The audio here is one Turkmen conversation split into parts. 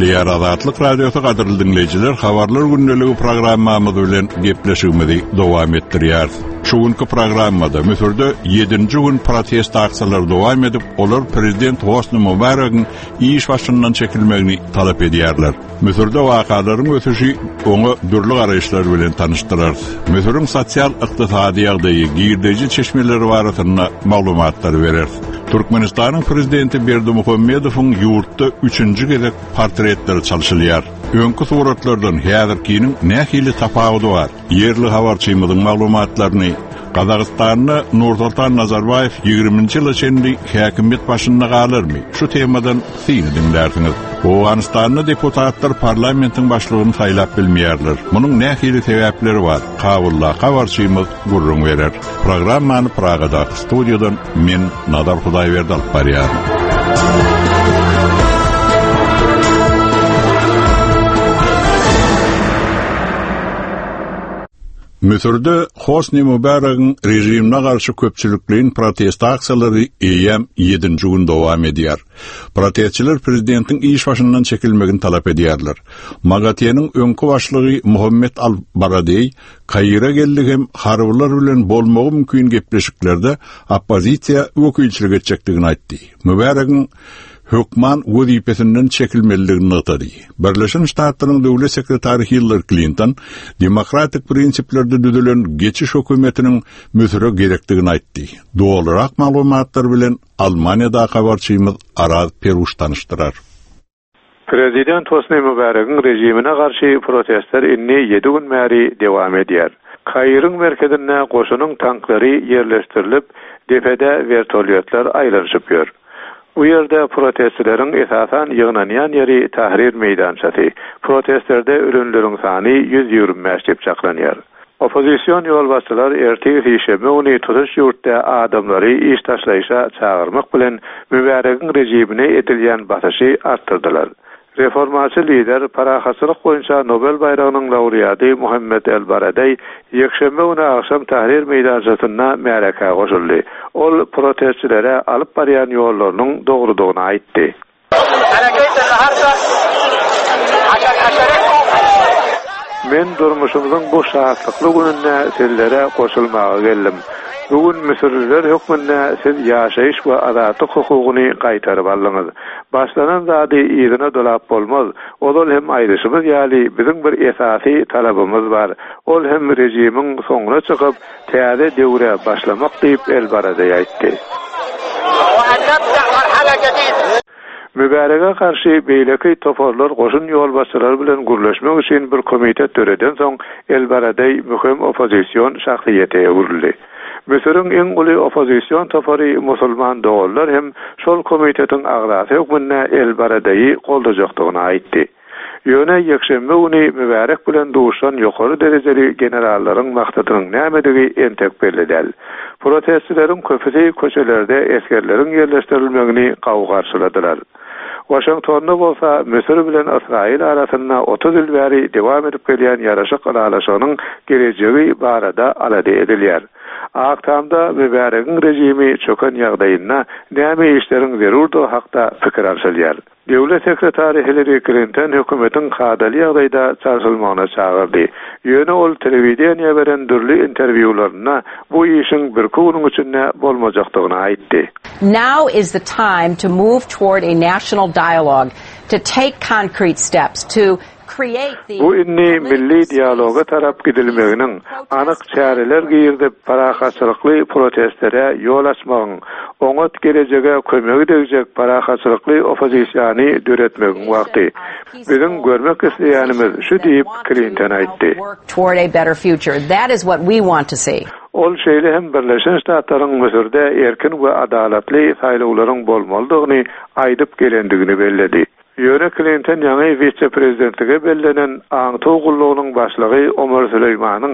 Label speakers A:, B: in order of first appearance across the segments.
A: Gepleýär Azatlyk Radiosy gadyrly diňleýjiler, habarlar gündeligi programmamyz bilen gepleşigimizi dowam etdirýäris. Şu günki programmada Müsürde ýedinji gün protest aksiýalary dowam edip, olar prezident Hosni Mubaregiň iş başyndan çekilmegini talap edýärler. Müsürde wakalaryň ösüşi oňa dürli garaýyşlar bilen tanyşdyrarys. Müsüriň sosial-ykdysady ýagdaýy, girdeji çeşmeleri barasynda maglumatlary bereris. Türkmenistanyň Prezidenti Berdimuhamedowyň ýurtda üçünji gezek portretleri çalşylýar. Öňki suratlardan häzirkiniň nähili tapawudy bar? Ýerli habarçymyzyň maglumatlaryny Gazagystanda Nursoltan Nazarbaýew ýigriminji ýyla çenli häkimiýet başynda galarmy? Şu temadan syny diňlärsiňiz. Owganystanda deputatlar parlamentiň başlygyny saýlap bilmeýärler. Munuň nähili sebäpleri bar? Kabuldaky habarçymyz gürrüň berer. Programmany Pragadaky studiýadan men Nazar Hudaýberdi alyp barýaryn. Müsürde Hosni Mubaregiň režimine garşy köpçülikleýin protest aksiýalary eýýäm ýedinji gün dowam edýär. Protestçiler prezidentiň iş başyndan çekilmegini talap edýärler. MAGATE-niň öňki başlygy Muhammet al-Baradeý Kaire geldi hem harbylar bilen bolmagy mümkin gepleşiklerde oppozisiýa wekilçilik etjekdigini aýtdy. Mubaregiň hökman wezipesinden çekilmelidigini nygtady. Birleşen Ştatlaryň Döwlet sekretary Hillari Klinton demokratik prinsiplerde düzülen geçiş hökümetiniň Müsüre gerekdigini aýtdy. Dolurak maglumatlar bilen Almaniýadaky habarçymyz Araz Peruş tanyşdyrar.
B: Prezident Hosni Mubaregiň režimine garşy protestler indi ýedi gün bäri dowam edýär. Kairiň merkezinde goşunyň tanklary ýerleşdirilip, depede wertolýotlar aýlanyşyp ýör. Bu ýerde protestçileriň esasan ýygnanýan ýeri Tahrir meýdançasy. Protestlerde ölenleriň sany 125 diýip çaklanýar. Oppozision ýolbaşçylar ertir sişenbe güni tutuş ýurtda adamlary iş taşlaýyşa çagyrmak bilen Mübäregiň režimine edilýän basyşy artdyrdylar. Reformaçy lider, parahatçylyk boýunça Nobel baýragynyň laureaty Muhammed El-Baradeý ýekşenbe güni agşam Tahrir meýdançasynda märekä goşuldy. Ol protestçilere alyp barýan ýollarynyň dogrudygyny aýtdy. Men durmuşymyzyň bu şatlykly gününde sizlere goşulmaga geldim. Bu gün müsürliler hökmünde siz ýaşaýyş we azatlyk hukugyny gaýtaryp aldyňyz. Başlanan zady yzyna dolap bolmaz. Ozal hem aýdyşymyz ýaly, biziň bir esasy talabymyz bar. Ol hem režimiň soňuna çykyp, täze döwre başlamak diýip, El-Baradeý aýtdy. Mübärege garşy beýleki toparlar goşun ýolbaşçylary bilen gürleşmek üçin bir komitet döredensoň, El-Baradeý möhüm oppozision şahsyýete öwrüldi. Müsüriň iň uly oppozision topary Musulman doganlar hem şol komitetiň agzasy hökmünde El-Baradeýi goldajakdygyny aýtdy. Ýöne ýekşenbe güni Mübärek bilen duşan ýokary derejeli generallaryň maksadynyň nämedigi entek belli däl. Protestçileriň köpüsi köçelerde esgerleriň ýerleşdirilmegini gawy garşyladylar. Waşingtonda bolsa Müsür bilen Ysraýyl arasynda 30 ýyl bäri dowam edip gelýän ýaraşyk ylalaşygynyň gelejegi barada alada edilýär. Ak Tamda Mübäregiň režimi çöken ýagdaýynda näme işleriň zerurdygy hakda pikir alşylýar. Döwlet sekretary Hillari Klinton hökümetiň kadaly ýagdaýda çalşylmagyna çagyrdy. Ýöne ol telewideniýä beren dürli interwýularynda bu işiň birki günüň içinde bolmajakdygyny aýtdy.
C: Now is the time to move toward a national dialogue, to take concrete steps, to
B: Bu indi milli dialoga tarap gidilmeginiň, anyk çäreler girizip, parahatçylykly protestlere ýol açmagyň, oňat gelejege kömegi degjek parahatçylykly oppozisiýany döretmegiň wagty. Biziň görmek isleýänimiz şu diýip, Klinton aýtdy. Ol şeýle hem Birleşen Ştatlaryň Müsürde erkin we adalatly saýlawlaryň bolmalydygyny aýdyp gelendigini belledi. Ýöne Klinton ýaňy wise-prezidentlige bellenen aňtaw gullugynyň başlygy Omar Süleýmanyň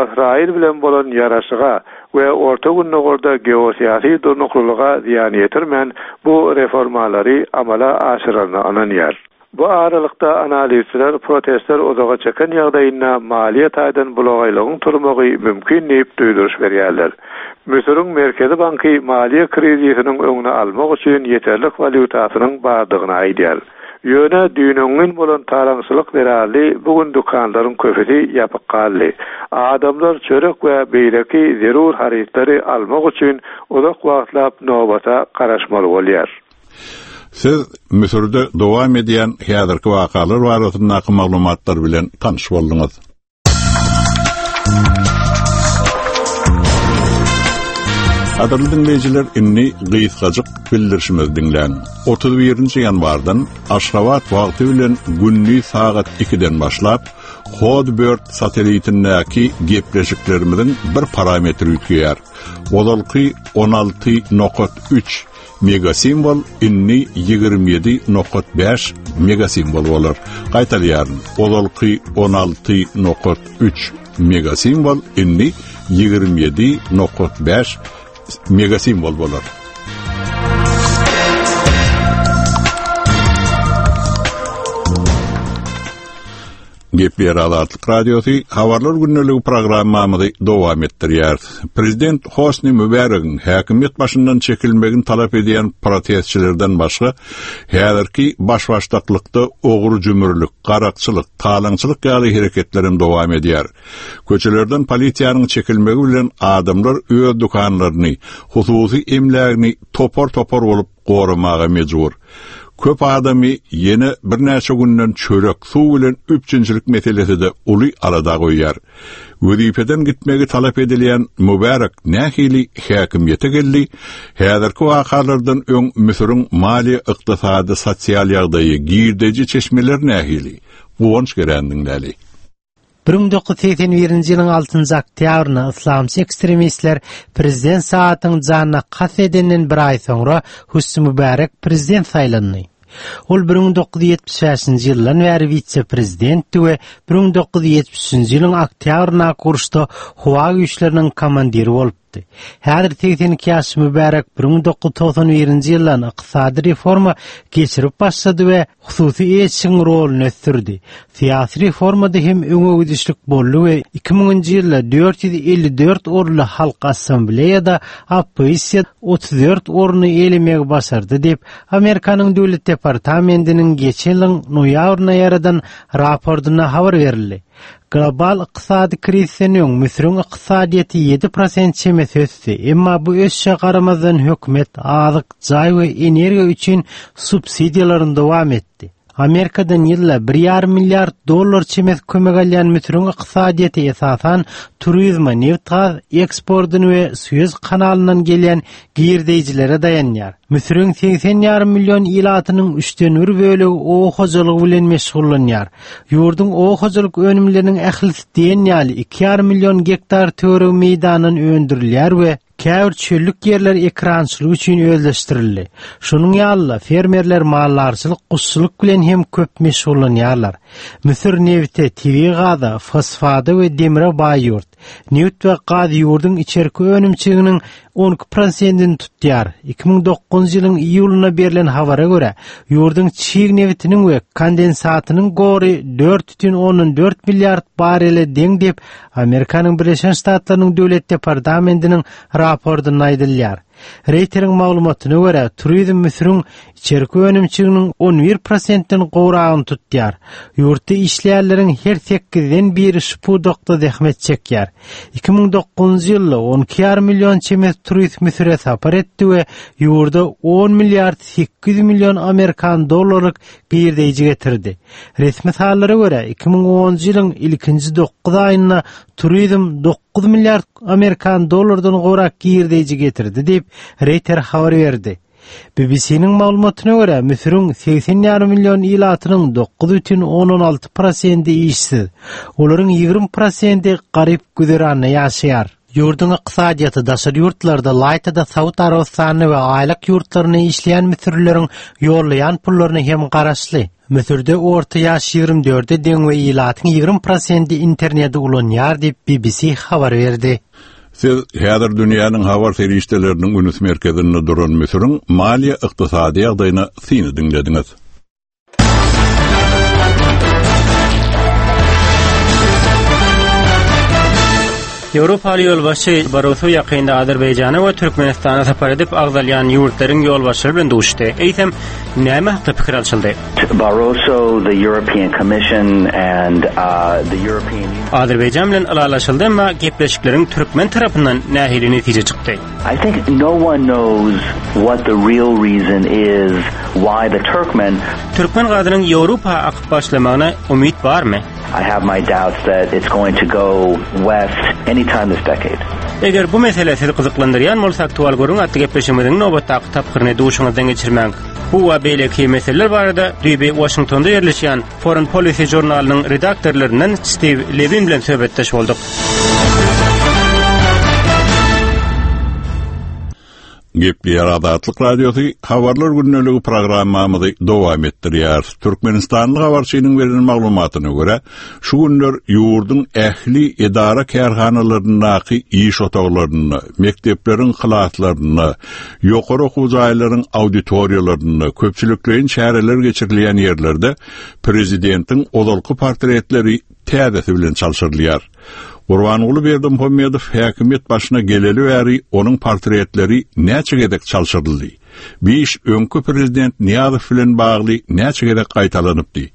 B: Ysraýyl bilen bolan ýaraşyga we Orta Gündogarda geosyýasy durnuklylyga zyýan ýetirmän bu reformalary amala aşyraryna ynanýar. Bu aralykda analizçiler protestler uzaga çeken ýagdaýynda maliýe taýdan bulagaýlygyň turmagy mümkin diýip duýduryş berýärler. Müsüriň Merkezi banky maliýe krizisiniň öňüni almak üçin ýeterlik walýutasynyň bardygyny aýdýar. Ýöne düýn-öňňin bolan talaňçylyk zerarly bu gün dükanlaryň köpüsi ýapyk galdy. Adamlar çörek we beýleki zerur harytlary almak üçin uzak wagtlap nobata garaşmaly bolýar.
A: Siz Müsürde dowam edýän häzirki wakalar barasyndaky maglumatlar bilen tanyş bolduňyz. Gadyrly diňleýjiler, indi gysgajyk bildirişimizi diňläň. 31-nji ýanwardan Aşgabat wagty bilen gündiz sagat 2-den başlap, Hotbird satelitindäki gepleşiklerimiziň bir parametri üýtgeýär. Ozalky 16.3 Megasimwol indi 27.5 megasimwol bolar. Gaýtalýaryn, ozalky 16.3 megasimwol indi 27.5 megasimwol bolar. Gepleýär Azatlyk Radiosy, Habarlar gündeligi programmamyzy dowam etdirýäris. Prezident Hosni Mübäregiň häkimiýet başyndan çekilmegini talap edýän protestçilerden başga, häzirki baş-başdaklykda ogry-jümürlik, garakçylyk, talaňçylyk ýaly hereketler hem dowam edýär. Köçelerden polisiýanyň çekilmegi bilen adamlar öz dükanlaryny, hususy emlägini topar-topar bolup goramaga mejbur. Köp adamy ýene birnäçe günden çörek, suw bilen üpjünçilik meselesi-de uly alada goýýar. Wezipeden gitmegi talap edilýän Mubarek nähili häkimiýete geldi? Häzirki wakalardan öň Müsüriň maliýe-ykdysady, sosial ýagdaýy, girdeji çeşmeleri nähili? Guwanç Gerän diňläli.
D: 1981-nji ýylyň altynjy oktýabrynda yslamçy ekstremistler prezident Saatyň janyna kast edenden bir aý soňra Husni Mübärek prezident saýlandy. Ol 1975-nji ýyldan bäri wise-prezidentdi we 1973-nji ýylyň oktýabryndaky uruşda howa güýçleriniň komandiri bolupdy. aýtdy. Häzir 82 ýaşly Mübärek 1991-nji ýyldan ykdysady reforma geçirip başlady we hususy eýeçiligiň roluny ösdürdi. Syýasy reformada hem öňe gidişlik boldy we 2000-nji ýylda 454 orunly Halk Assambleýada oppozisiýa 34 orny eýelemegi başardy diýip, Amerikanyň Döwlet departamentiniň geçen ýylyň noýabrynda ýaradan raportynda habar berildi. Global ykdysady krizisden öň Müsüriň ykdysadyýeti 7 prosent çemesi ösdi, emma bu ösüşe garamazdan hökümet azyk, jaý we energiýa üçin subsidiýalaryny dowam etdi. Amerikadan ýylda bir ýarym milliard dollar çemesi kömek alýan Müsüriň ykdysadyýeti esasan turizme, nebit-gaz eksportyny we Suez kanalyndan gelýän girdeýjilere daýanýar. Müsüriň 80 ýarym million ilatynyň üçden bir bölegi oba hojalygy bilen meşgullanýar. Ýurduň oba hojalyk önümleriniň ählisi diýen ýaly iki ýarym million gektar töweregi meýdandan öndürilýär we käbir çöllük ýerler ekerançylyk üçin özleşdirildi. Şonuň ýaly-da, fermerler maldarçylyk, guşçulyk bilen hem köp meşgullanýarlar. Müsür nebite, tebigy gaza, fosfata we demre baý ýurt. Nebit we gaz ýurduň içerki önümçiliginiň 12 prosentini tutýar. 2009-njy ýylyň iýulynda berlen habara görä, ýurduň çig nebitiniň we kondensatynyň gory 4,4 milliard barrele deň diýip, Amerikanyň Birleşen Ştatlarynyň Döwlet departamentiniň raportynda aýdylýar. Reýteriň maglumatyna görä, turizm Müsüriň içerki önümçiliginiň 11 prosentden gowragyny tutýar. Ýurtda işleýänleriň her sekizden biri şu pudakda zähmet çekýär. 2009-njy ýylda 12,5 million çemesi turist Müsüre sapar etdi we ýurda 10 milliard 800 million amerikan dollarlyk girdeýji getirdi. Resmi sanlara görä, 2010-njy ýylyň ilkinji dokuz aýynda turizm 9 milliard amerikan dollardan gowrak girdeýji getirdi diýip, Reýter habar berdi. BBC-niň maglumatyna görä, Müsüriň 80 ýarym million ilatynyň 9,6 prosenti işsiz. Olaryň 20 prosenti garyp güzeranda ýaşaýar. Ýurduň ykdysadyýeti daşary ýurtlarda, ylaýta-da Saud Arabystanyna we aýlak ýurtlaryna işleýän müsürlileriň ýollaýan pullaryna hem garaşly. Müsürde orta ýaş 24-e deň we ilatyň 20 prosenti interneti ulanýar diýip, BBC habar berdi.
A: Siz häzir dünýäniň habar serişdeleriniň üns merkezinde duran Müsüriň maliýe-ykdysady ýagdaýyna syny diňlediňiz.
E: Ýewropaly ýolbaşçy Barroso ýakynda Azerbaýjana we Türkmenistana sapar edip, agzalýan ýurtlaryň ýolbaşçylary bilen duşuşdy. Eýsem, näme hakda pikir alşyldy?
F: Barroso, the European Commission and the European Union.
E: Azerbaýjan bilen ylalaşyldy, emma gepleşikleriň türkmen tarapyndan nähili netije çykdy?
F: I think no one knows what the real reason is why the Turkmen.
E: Türkmen gazynyň Ýewropa akyp başlamagyna umyt barmy?
F: I have my doubts that it's going to go west any time this decade.
E: Eger bu mesele sizi gyzyklandyrýan bolsa Aktual gürrüň atly gepleşigimiziň nobatdaky tapgyryny duşuňyzdan geçirmäň. Bu we beýleki meseleler barada düýbi Waşingtonda ýerleşýän Foreign Policy žurnalynyň redaktorlaryndan Stiw Lewin bilen söhbetdeş bolduk.
A: Gepleýär Azatlyk Radiosy Habarlar gündeligi programmamyzy dowam etdirýär. Türkmenistanly habarçynyň beren maglumatyna görä, şu günler ýurduň ähli edara-kärhanalaryndaky iş otaglarynda, mekdepleriň klaslarynda, ýokary okuw jaýlaryň auditoriýalarynda, köpçülikleýin çäreler geçirilýän ýerlerde prezidentiň ozalky portretleri täzesi bilen çalşyrylýar. Gurbanguly Berdimuhamedow häkimiýet başyna geleli bäri onuň portretleri näçe gezek çalşyryldy? Bu iş öňki prezident Nyýazow bilen bagly näçe gezek gaýtalanypdy?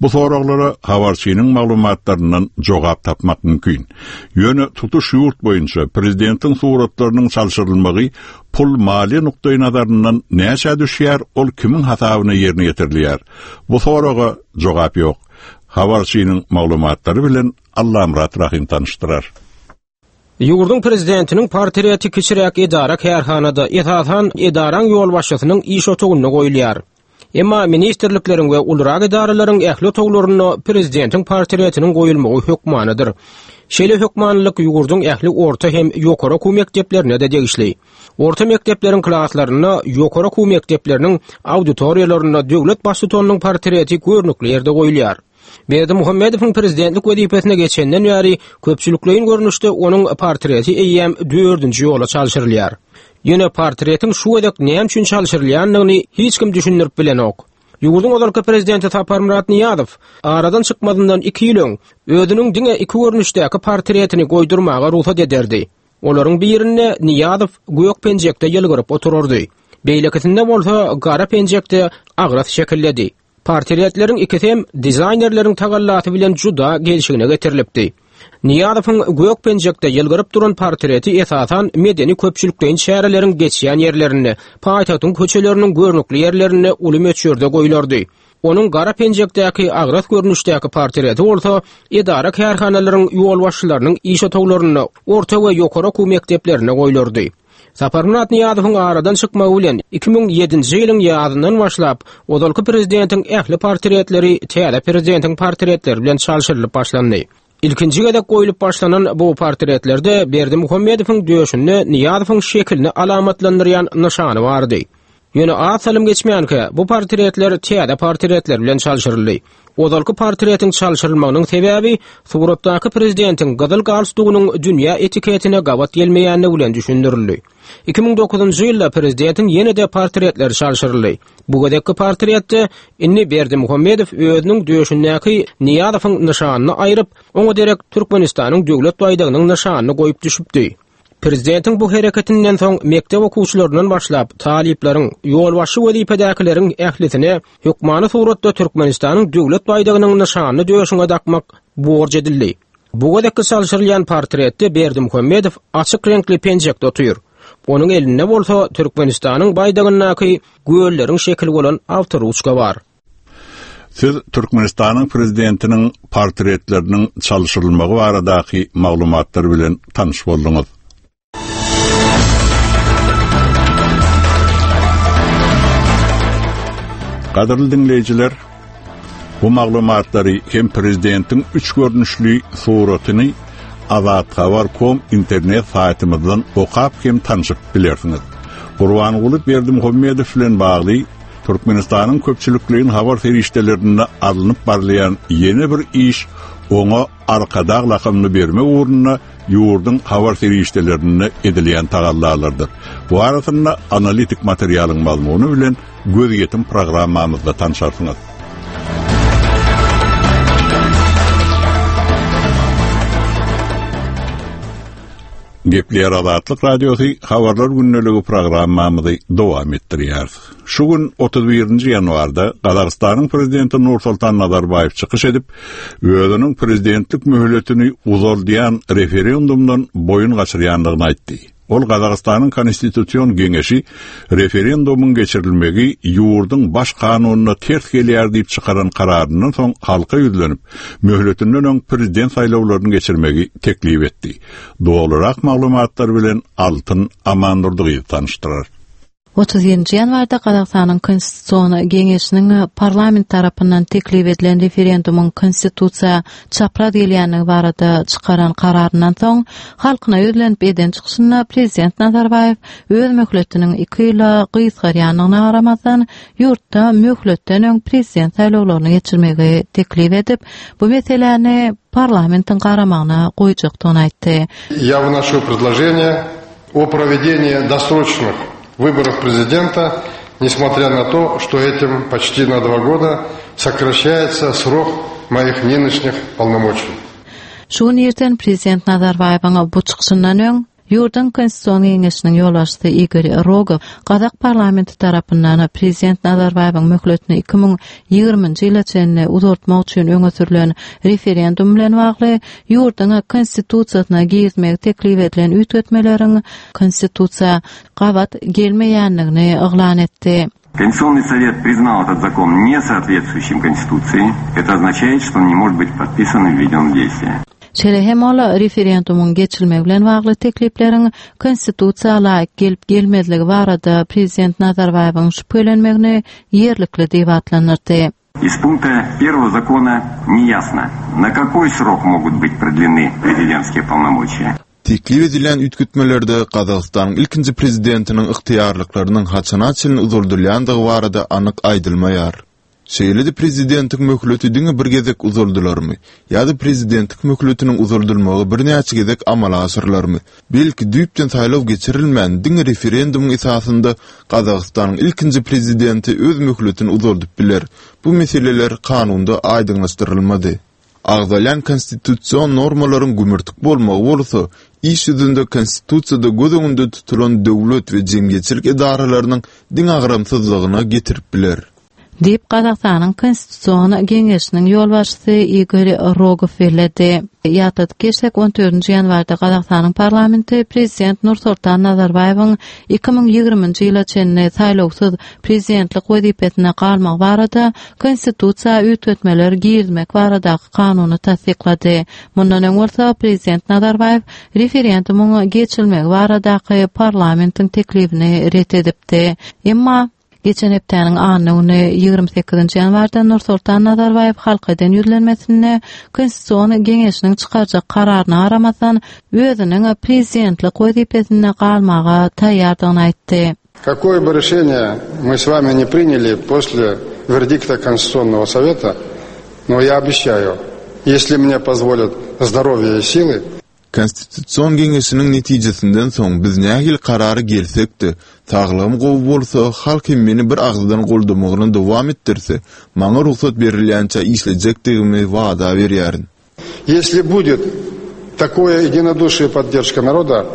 A: Bu soraglara habarçynyň maglumatlaryndan jogap tapmak mümkin. Ýöne tutuş ýurt boýunça prezidentiň suratlarynyň çalşyrylmagy pul-maliýe nukdaýnazaryndan näçä düşýär, ol kimiň hasabyna ýerine ýetirilýär? Bu soraga jogap ýok. Habarçynyň maglumatlary bilen Allamyrat Rahym tanyşdyrar.
G: Ýurduň prezidentiniň portreti kiçiräk edara-kärhanada, esasan, edaraň ýolbaşçysynyň iş otagynda goýulýar. Emma ministrlikleriň we ulurak edaralaryň ähli otaglarynda prezidentiň portretiniň goýulmagy hökmanydyr. Şeýle hökmanylyk ýurduň ähli orta hem ýokary okuw mekdeplerine-de degişli. Orta mekdepleriň klaslarynda, ýokary okuw mekdepleriniň auditoriýalarynda döwlet baştutanynyň portreti görnükli ýerde goýulýar. Berdimuhamedowyň prezidentlik wezipesine geçenden bäri köpçülikleýin görnüşde onuň portreti eýýäm dördünji ýola çalşyrylýar. Ýöne portretiň şu gezek näme üçin çalşyrylýandygyny hiç kim düşündirip bilenok. Ýurduň ozalky prezidenti Saparmyrat Nyýazow aradan çykmazyndan iki ýyl öň özüniň diňe iki görnüşdäki portretini goýdurmaga rugsat ederdi. Olaryň birinde Nyýazow gök penjekde ýylgyryp oturardy. Beýlekisinde bolsa gara penjekde agras şekilledi. Portretleriň ikisi hem dizaýnerleriň tagallasy bilen juda gelşigine getirilipdi. Nyýazowyň gök penjekde ýylgyryp duran portreti esasan medeni-köpçülikleýin çäreleriň geçýän ýerlerinde, paýtagtyň köçeleriniň görnükli ýerlerinde uly möçberde goýlardy. Onuň gara penjekdäki agras görnüşdäki portreti bolsa edara-kärhanalaryň ýolbaşçylarynyň iş otaglarynda, orta we ýokary okuw mekdeplerinde goýlardy. Saparmyrat Nyýazowyň aradan çykmagy bilen, 2007-nji ýylyň ýazyndan başlap, ozalky prezidentiň ähli portretleri täze prezidentiň portretleri bilen çalşyrylyp başlandy. Ilkinji gezek goýlup başlanan bu portretlerde Berdimuhamedowyň döşünde Nyýazowyň şekilini alamatlandyrýan nyşany bardy. Ýöne az salym geçmänkä, bu portretler täze portretler bilen çalşyryldy. Ozalky portretiň çalşyrylmagynyň sebäbi suratdaky prezidentiň gyzyl galstugynyň dünýä etiketine gabat gelmeýändigi bilen düşündirildi. 2009-njy ýylda prezidentiň ýene-de portretleri çalşyryldy. Bu gezekki portretde indi Berdimuhamedow özüniň döşündäki Nyýazowyň nyşanyny aýryp, oňa derek Türkmenistanyň döwlet baýdagynyň nyşanyny goýup düşüpdi. Prezidentiň bu hereketinden soň mekdep okuwçylaryndan başlap, talyplaryň, ýolbaşçy wezipedäkileriň ählisine hökmany suratda Türkmenistanyň döwlet baýdagynyň nyşanyny döşüňe dakmak borç edildi. Bu gezekki çalşyrylýan portretde Berdimuhamedow açyk reňkli penjekde otyr. Onuň elinde bolsa Türkmenistanyň baýdagyndaky gölleriň şekili bolan awtoruçka bar.
A: Siz Türkmenistanyň Prezidentiniň portretleriniň çalşyrylmagy baradaky maglumatlar bilen tanyş bolduňyz. Gadyrly diňleýjiler, bu maglumatlary hem Prezidentiň üç görnüşli suratyny Azathabar kom internet saýtymyzdan okap hem tanşyp bilersiňiz. Gurbanguly Berdimuhamedow bilen bagly Türkmenistanyň köpçülikleýin habar serişdelerinde alnyp barylýan ýene bir iş oňa Arkadag lakamyny bermek ugrunda ýurduň habar serişdelerinde edilýän tagallalardyr. Bu arasynda analitik materialyň mazmuny bilen Gözýetim programmamyzda tanşarsyňyz. Gepleýär Azatlyk Radiosy Habarlar gündeligi programmamyzy dowam etdirýäris. Şu gün 31-nji ýanwarda Gazagystanyň prezidenti Nursultan Nazarbaýew çykyş edip, özüniň prezidentlik möhletini uzaldýan referendumdan boýun gaçyrýandygyny aýtdy. Ol Gazagystanyň Konstitusion geňeşi referendumyň geçirilmegi ýurduň baş kanunyna ters gelýär diýip çykaran kararyndan soň halka ýüzlenip, möhletinden öň prezident saýlawlaryny geçirmegi teklip etdi. Dolurak maglumatlar bilen Altyn Amandurdygyz tanyşdyrar.
H: 31-nji ýanwarda Gazagystanyň Konstitusion geňeşiniň parlament tarapyndan teklip edilen referendumyň konstitusiýa çapraz gelýändigi barada çykaran kararyndan soň, halkyna ýüzlenip eden çykyşynda prezident Nazarbaýew öz möhletiniň iki ýyla gysgarýandygyna garamazdan, ýurtda möhletden öň prezident saýlawlaryny geçirmegi teklip edip, bu meseläni parlamentiň garamagyna goýjakdygyny aýtdy.
I: Я выношу предложение о проведении досрочных выборов президента, несмотря на то, что этим почти на два года сокращается срок моих нынешних полномочий.
H: Şu gün irden prezident Nazarbaýewiň bu çykyşyndan öň, ýurduň Konstitusion geňeşiniň ýolbaşçysy Igor Rogow gazak parlamenti tarapyndan prezident Nazarbaýewiň möhletini 2020-nji ýyla çenli uzaltmak üçin öňe sürlen referendum bilen bagly ýurduň Konstitusiýasyna girizmegi teklip edilen üýtgetmeleriň Konstitusiýa gabat gelmeýändigini yglan etdi.
J: Конституционный совет признал этот закон несоответствующим Конституции. Это означает, что он не может быть подписан и введен в действие.
H: Şeýle hem ol referendumyň geçirilmegi bilen bagly teklipleriň Konstitusiýa laýyk gelip-gelmezligi barada prezident Nazarbaýewiň şübhelenmegini ýerlikli diýip atlandyrdy.
J: Из пункта первого закона не ясно, на какой срок могут быть продлены президентские полномочия.
K: Teklip edilýän üýtgetmelerde Gazagystanyň ilkinji prezidentiniň ygtyýarlyklarynyň haçana çenli uzaldylýandygy barada anyk aýdylmaýar. Şeýle-de prezidentiň möhleti diňe bir gezek uzaldylarmy ýa-da prezidentlik möhletiniň uzaldylmagy birnäçe gezek amala aşyrylarmy, belki düýpden saýlaw geçirilmän diňe referendumyň esasynda Gazagystanyň ilkinji prezidenti öz möhletini uzaldyp biler, bu meseleler kanunda aýdyňlaşdyrylmady. Agzalýan konstitusion normalaryň gümürtik bolmagy bolsa, iş ýüzünde Konstitusiýada göz öňünde tutulan döwlet we jemgyýetçilik edaralarynyň deňagramsyzlygyna getirip biler.
H: Diýip, Gazagystanyň Konstitusion geňeşiniň ýolbaşçysy Igor Rogow belledi. Ýatladyp geçsek, on dördünji ýanwarda Gazagystanyň parlamenti prezident Nursultan Nazarbaýewiň 2020-nji ýyla çenli saýlawsyz prezidentlik wezipesinde galmagy barada Konstitusiýa üýtgetmeler girizmek baradaky kanuny tassyklady. Mundan öň bolsa prezident Nazarbaýew referendumyň geçirilmegi baradaky parlamentiň teklibini ret edipdi. Emma, Geçen hepdäniň anna güni, 28-nji ýanwarda Nursultan Nazarbaýew halka eden ýüzlenmesinde Konstitusion geňeşiniň çykarjak kararyna garamazdan, özüniň prezidentlik wezipesinde galmaga taýýardygyny aýtdy.
I: Какое бы решение мы с вами ни приняли после вердикта Конституционного совета, но я обещаю, если мне позволят здоровье и силы,
K: Konstitusion geňeşiniň netijesinden soň biz nähili karara gelsek-de, saglygym gowy bolsa, halk hem meni bir agyzdan goldamagyny dowam etdirse, maňa rugsat berilýänçä işlejekdigimi wada berýärin.
I: Если будет такое единодушие и поддержка народа,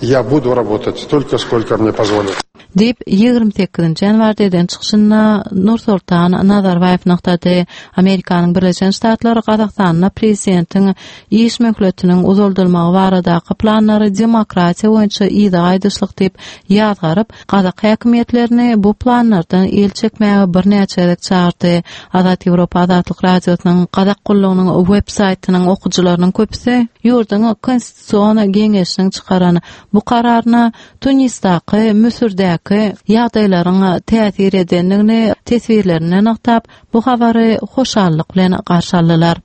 I: я буду работать столько, сколько мне позволят.
H: Diýip, 28-nji ýanwarda eden çykyşynda Nursultan Nazarbaýew nygtady. Amerikanyň Birleşen Ştatlary Gazagystanda prezidentiň iş möhletiniň uzaldylmagy baradaky planlary demokratiýa boýunça yza gaýdyşlyk diýip ýazgaryp, gazak häkimiýetlerini bu planlardan el çekmäge birnäçe gezek çagyrdy. Azat Ýewropa Azatlyk Radiosynyň Gazak gullugynyň web saýtynyň okyjylarynyň köpüsi ýurduň Konstitusion geňeşiniň çykaran bu kararyna Tunisdaky, Müsürdäki ýagdaýlaryň täsir edendigini teswirlerinde nygtap, bu habary hoşallyk bilen garşy aldylar.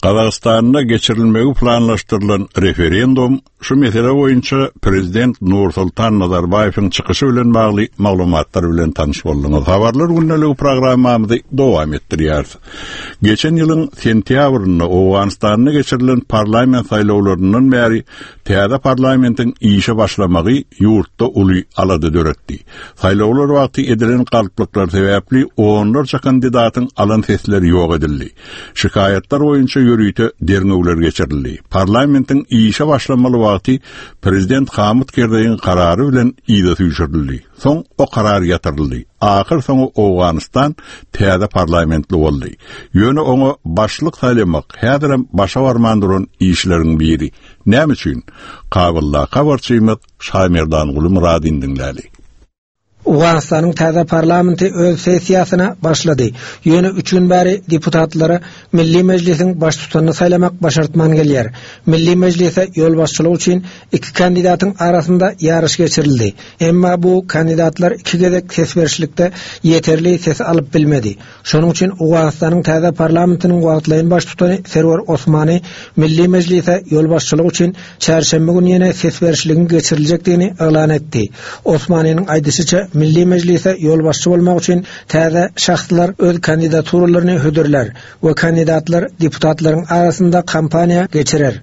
A: Gazagystanda geçirilmegi planlaşdyrylan referendum şu mesele boýunça prezident Nursultan Nazarbaýewiň çykyşy bilen bagly maglumatlar bilen tanyş bolduňyz. Habarlar gündeligi programmamyzy dowam etdirýäris. Geçen ýylyň sentýabrynda Owganystanda geçirilen parlament saýlawlaryndan bäri Täze parlamentiň işe başlamagy ýurtda uly alada döretdi. Saýlawlar wagty edilen galplyklar sebäpli onlarça kandidatyň alan sesleri ýok edildi. Şikaýatlar boýunça. ýörite derňewler geçirildi. Parlamentiň işe başlamaly wagty prezident Hamyt Kerzeýiň karary bilen yza süýşürildi. Soň o karar ýatyryldy. Ahyrsoňy Owganystan täze parlamentli boldy. Ýöne oňa başlyk saýlamak häzirem başa barman duran işleriň biri. Näme üçin? Kabuldaky habarçymyz Şaýmerdanguly Myradyny diňläli.
L: Owganystanyň täze parlamenti öz sessiýasyna başlady. Ýöne üç gün bäri deputatlara Milli Mejlisiň baştutanyny saýlamak başartman gelýär. Milli Mejlise ýolbaşçylyk üçin iki kandidatyň arasynda ýaryş geçirildi. Emma bu kandidatlar iki gezek ses berişlikde ýeterli sesi alyp bilmedi. Şonuň üçin Owganystanyň täze parlamentiniň wagtlaýyn baştutany Serwer Osmani Milli Mejlise ýolbaşçylyk üçin çarşenbe güni ýene ses berişligiň geçiriljekdigini yglan etdi. Osmaniniň aýdyşyça, Milli Mejlise ýolbaşçy bolmak üçin täze şahslar öz kandidaturalaryny hödürlär we kandidatlar deputatlaryň arasynda kampaniýa geçirer.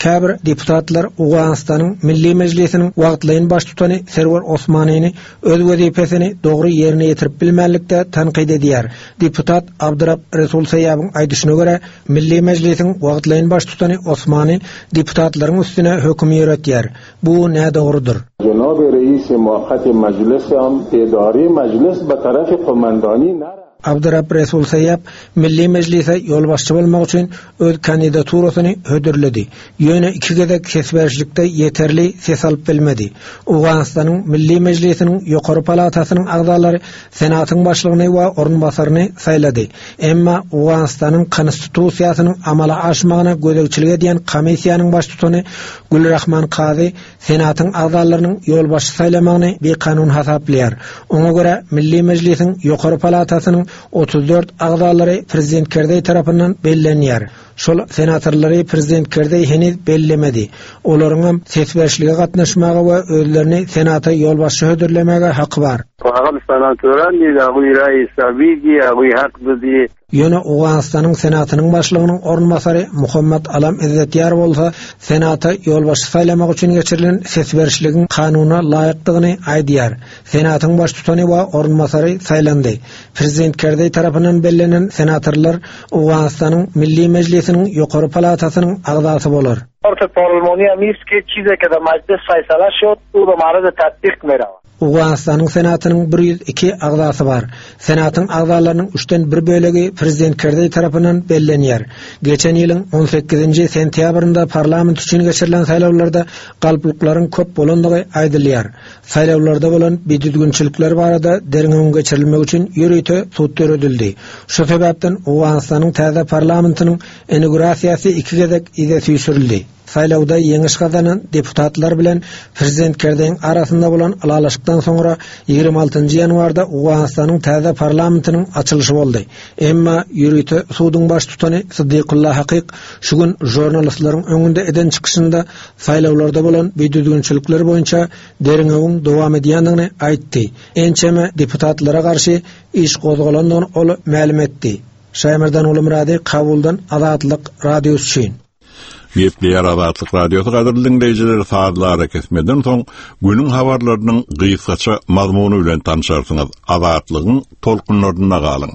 L: Käbir deputatlar Owganystanyň Milli Mejlisiniň wagtlaýyn baştutany Serwer Osmanyny öz wezipesini dogry ýerine ýetirip bilmänlikde tankyt edýär. Deputat Abdyrab Resul Seýabyň aýdyşyna görä, Milli Mejlisiň wagtlaýyn baştutany Osmany deputatlaryň üstüne höküm ýöretýär. Bu nädogrudyr.
M: Jenaby reisi muakkati majlisam edary majlis be tarafi komandani nara.
L: Abdyrab Resul Seýap Milli Mejlise ýolbaşçy bolmak üçin öz kandidaturasyny hödürledi. Ýöne iki gezek ses berişlikde ýeterli ses alyp bilmedi. Owganystanyň Milli Mejlisiniň ýokary palatasynyň agzalary Senatyň başlygyny we orunbasaryny saýlady. Emma Owganystanyň Konstitusiýasynyň amala aşmagyna gözegçilik edýän komissiýanyň baştutany Gülrahman Kazy Senatyň agzalarynyň ýolbaşçy saýlamagyny bikanun hasaplaýar. Oňa görä, Milli Mejlisiň ýokary palatasynyň 34 agzalary prezident Kerzeý tarapyndan bellenýär. Şol senatorlary prezident Kerzeý heniz bellemedi. Olaryňam ses berişlige gatnaşmaga we özlerini Senata ýolbaşçy hödürlemäge haky bar. Ýöne Owganystanyň Senatynyň başlygynyň orunbasary Muhammad Alam Izzetýar bolsa Senata ýolbaşçy saýlamak üçin geçirilen ses berişligiň kanuna laýykdygyny aýdýar. Senatyň baştutany we orunbasary saýlandy. Prezident Kerzeý tarapyndan bellenen senatorlar Owganystanyň Milli Mejlisiniň ýokary palatasynyň agzasy bolar. Owganystanyň Senatynyň 102 agzasy bar. Senatyň agzalarynyň üçden bir bölegi prezident Kerzeý tarapyndan bellenýär. Geçen ýylyň on sekizinji sentýabrynda parlament üçin geçirilen saýlawlarda galplyklaryň köp bolandygy aýdylýar. Saýlawlarda bolan bidüzgünçilikler barada derňewiň geçirilmegi üçin ýörite sud döredildi. Şu sebäpden Owganystanyň täze parlamentiniň inaugurasiýasy iki gezek yza süýşürildi. Saýlawda ýeňiş gazanan deputatlar bilen prezident Kerzeýiň arasynda bolan ylalaşykdan soňra 26 ýanwarda Owganystanyň täze parlamentiniň açylyşy boldy. Emma ýörite suduň baştutany Siddikullah Hakyk şu gün žurnalistleriň öňünde eden çykyşynda saýlawlarda bolan bidüzgünçilikler boýunça derňewiň dowam edýändigini aýtdy. Ençeme deputatlara garşy iş gozgalandygyny ol mälim etdi. Şaýmerdan Gulumyrady Kabuldan Azatlyk Radiosy üçin.
A: Gepleýär Azatlyk Radiosy gadyrly diňleýjiler sazly arakesmeden soň günüň habarlarynyň gysgaça mazmuny bilen tanşarsyňyz. Azatlygyň tolkunlarynda galyň.